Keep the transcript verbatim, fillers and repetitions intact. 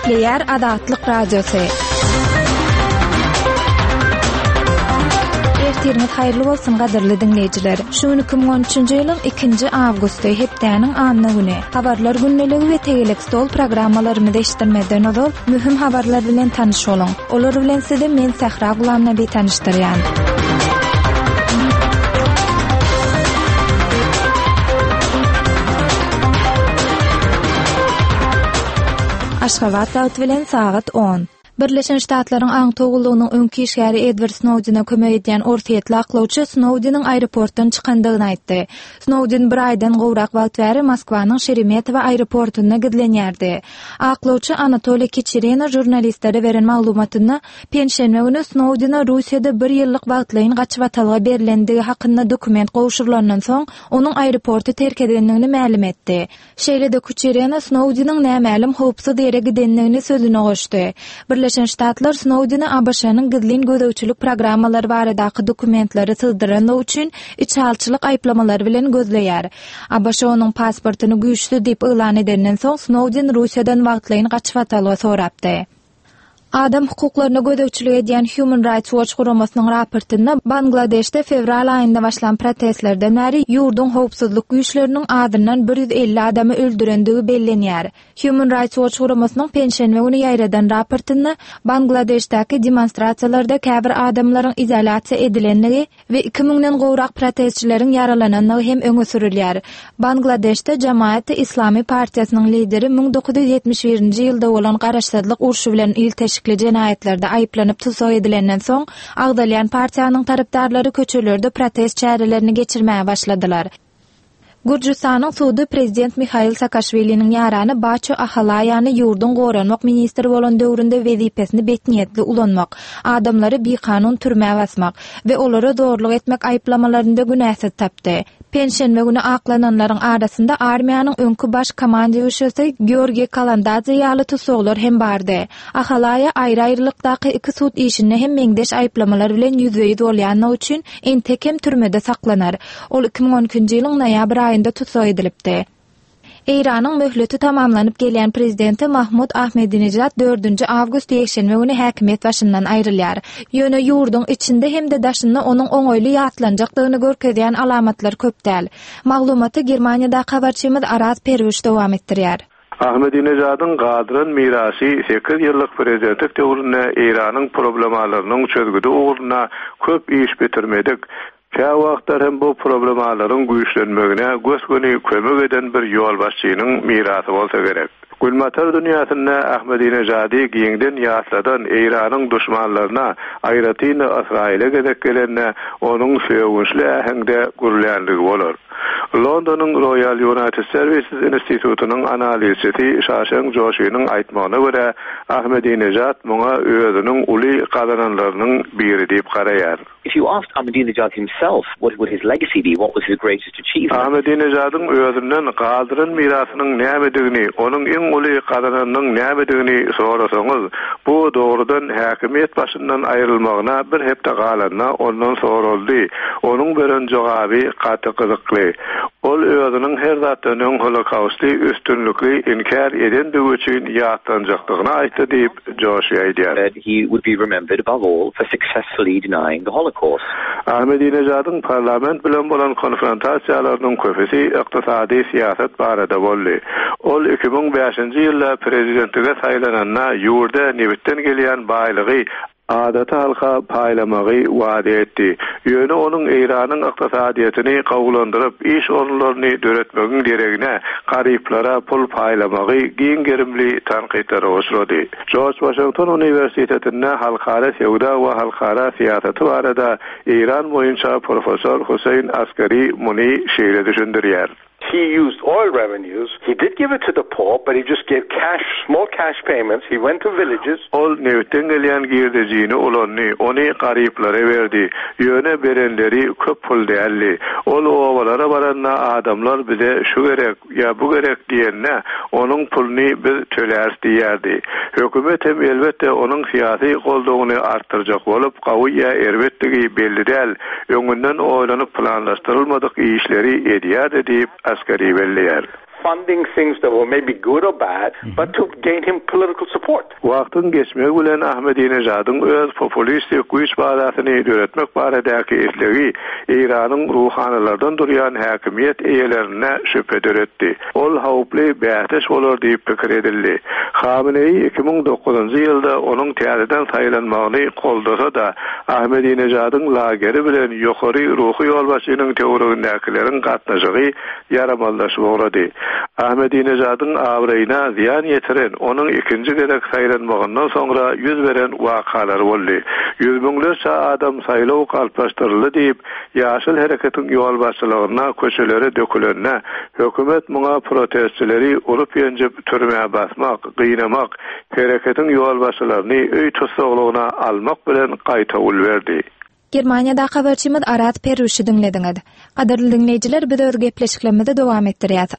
Gepleýär Azatlyk Radiosy. Ertiriňiz haýyrly bolsun gadyrly diňleýjiler. Şu gün iki müň on üçünji ýylyň ikinji awgusty, hepdäniň anna güni. Habarlar gündeligi we tegelek stol programmalarymyzy eşitdirmezden ozal möhüm habarlar bilen tanyş boluň. Olar bilen sizi men Sähra Gulamnabi tanyşdyrýan. Aşgabat wagty bilen sagat on. Birleşen Ştatlaryň aňtaw gullugynyň öňki işgäri Edward Snowdene kömek edýän orsýetli aklawçy Snowdeniň aeroportdan çykandygyny aýtdy. Snowden bir aýdan gowrak wagt bäri Moskwanyň Şeremetýewo aeroportunda gizlenýärdi. Aklawçy Anatoliý Kiçerina žurnalistlere beren maglumatynda penşenbe güni Snowdene Russiýada bir ýyllyk wagtlaýyn gaçybatalga berilendigi hakynda dokument gowşurylandan soň onuň aeroporty terk edendigini mälim etdi. Şeýle-de Kuçerina Snowdeniň nämälim howpsuz ýere gidendigini sözüne goşdy. Birleşen Ştatlar Snowdeni A B Ş-nyň gizlin gözegçilik programmalary baradaky dokumentleri syzdyranlygy üçin içalçylyk aýyplamalary bilen gözleýär. A B Ş onuň pasportyny güýçsüz diýip yglan edenden soň Snowden Russiýadan wagtlaýyn gaçybatalga sorapdy. Adam hukuklaryna gözegçilik edýän Human Rights Watch guramasynyň raportynda Bangladeşde fewral aýynda başlan protestlerden bäri ýurduň howpsuzlyk güýçleriniň azyndan bir ýüz elli adamy öldürendigi bellenýär. Human Rights Watch guramasynyň penşenbe güni ýaýradan raportynda Bangladeşdäki demonstrasiýalarda käbir adamlaryň izolýasiýa edilendigi we iki müňden gowrak protestçileriň ýaralanandygy hem öňe sürülýär. Bangladeşde Jamaat-i Islami partiýasynyň lideri müň dokuz ýüz ýetmiş birinji ýylda bolan garaşsyzlyk urşy bilen ilteşikli jenaýatlarda aýyplanyp tussag edilenden soň agzalýan partiýanyň tarapdarlary köçelerde protest çärelerini geçirmäge başladylar. Gürjüstanyň sudy prezident Mihail Saakaşwiliniň ýarany Baço Ahalaýany ýurduň goranmak ministri bolan döwründe wezipesini betniýetli ulanmak, adamlary bikanun türmä basmak we olara zorluk etmek aýyplamalarynda günäsiz tapdy. Penşenbe güni aklananlaryň arasynda armiýanyň öňki baş komandowşysy Georgiý Kalandadze ýaly tussaglar hem bardy. Ahalaýa aýry-aýrylykdaky iki sud işinde hem meňzeş aýyplamalar bilen ýüzbe-ýüz bolýanlygy üçin entek hem türmede saklanar. Ol iki müň on ikinji ýylyň noýabr aýynda tussag edilipdi. Eýranyň möhleti tamamlanyp gelýän prezidenti Mahmud Ahmedinejad dördünji awgust ýekşenbe güni häkimiýet başyndan aýrylýar. Ýöne ýurduň içinde hem-de daşynda onuň oňaýly ýatlanjakdygyny görkezýän alamatlar köp däl. Maglumaty Germaniýadaky habarçymyz Araz Perwiş dowam etdirýär. Ahmedinejadyň galdyran mirasy sekiz ýyllyk prezidentlik döwründe Eýranyň problemalarynyň çözgüdi ugrunda köp iş bitirmedik. Kä wagtlar hem bu problemalaryň güýçlenmegine gös-göni kömek eden bir ýolbaşçynyň mirasy bolsa gerek. Günbatar dünýäsinde Ahmedinejady giňden ýatladan Eýranyň düşmanlaryna, aýratyn Ysraýyla gezek gelende onuň sögünçli äheňde gürlänligi bolar. Londonyň Royal United Services Institutynyň analizçisi Şaşen Joşynyň aýtmagyna görä, Ahmedinejad muňa özüniň uly gazananlarynyň biri diýip garaýar. If you asked Ahmadinejad himself what would his legacy be, what was his greatest achievement? Ahmedinejadyň özünden galdyran mirasynyň nämedigini, onuň iň uly gazananynyň nämedigini sorasaňyz, bu dogrudan häkimiýet başyndan aýrylmagyna bir hepde galanda ondan soraldy. Onuň beren jogaby gaty gyzykly. Ol özüniň her zatdan öň Holokausty üstünlikli inkär edendigi üçin ýatlanjakdygyny aýtdy diýip Joşy aýdýar. That he would be remembered above all for successfully denying the Holocaust. Ahmedinejadyň parlament bilen bolan konfrontasiýalarynyň köpüsi ykdysady syýasat barada boldy. Ol iki müň bäşinji ýylda prezidentlige saýlananda ýurda nebitden gelýän baýlygy adaty halka paýlamagy wada etdi. Ýöne onuň Eýranyň ykdysadyýetini gowulandyryp, iş orunlaryny döretmegiň deregine garyplara pul paýlamagy giň gerimli tankytlara uçrady. George Washington Universitetinde halkara söwda we halkara syýasaty barada Eýran boýunça professor Hüseýin Askari muny şeýle düşündirýär. He used oil revenues. He did give it to the poor, but he just gave cash, small cash payments. He went to villages. Ol nebitden gelýän girdejini ulandy, ony garyplara berdi. Ýöne berenleri köp pul däldi. Ol obalara baranda adamlar bize şu gerek ýa bu gerek diýende, onuň puluny biz töläris diýerdi. Hökümet hem elbetde onuň syýasy goldawyny artdyrjak bolup, gawy ýa erbetdigi belli däl, öňünden oýlanyp planlaşdyrylmadyk işleri edýärdi diýip Askari belleýär. funding things that were maybe good or bad, but to gain him political support. Wagtyň geçmegi bilen Ahmedinejadyň öz populistik güýç bazasyny döretmek baradaky islegi Eýranyň ruhanylardan durýan häkimiýet eýelerine şübhe döretdi. Ol howply bäsdeş bolar diýip pikir edildi. Hameneýi iki müň dokuzynjy ýylda onuň täzeden saýlanmagyny goldasa-da, Ahmedinejadyň lageri bilen ýokary ruhy ýolbaşçynyň töweregindäkileriň gatnaşygy ýaramazlaşyp ugrady. Ahmedinejadyň abraýyna zyýan ýetiren onuň ikinji gezek saýlanmagyndan soňra ýüz beren wakalar boldy. Ýüz müňlerçe adam saýlaw galplaşdyryldy diýip, Ýaşyl hereketiň ýolbaşçylygyna köçelere dökülende, hökümet muňa protestçileri urup ýenjip türmä basmak, gynamak, hereketiň ýolbaşçylaryny öý tussaglygyna almak bilen gaýtawul berdi. Germaniýadaky habarçymyz Arat Peruşy diňlediňiz. Gadyrly diňleýjiler, biz öz gepleşiklerimizi dowam etdirýäs.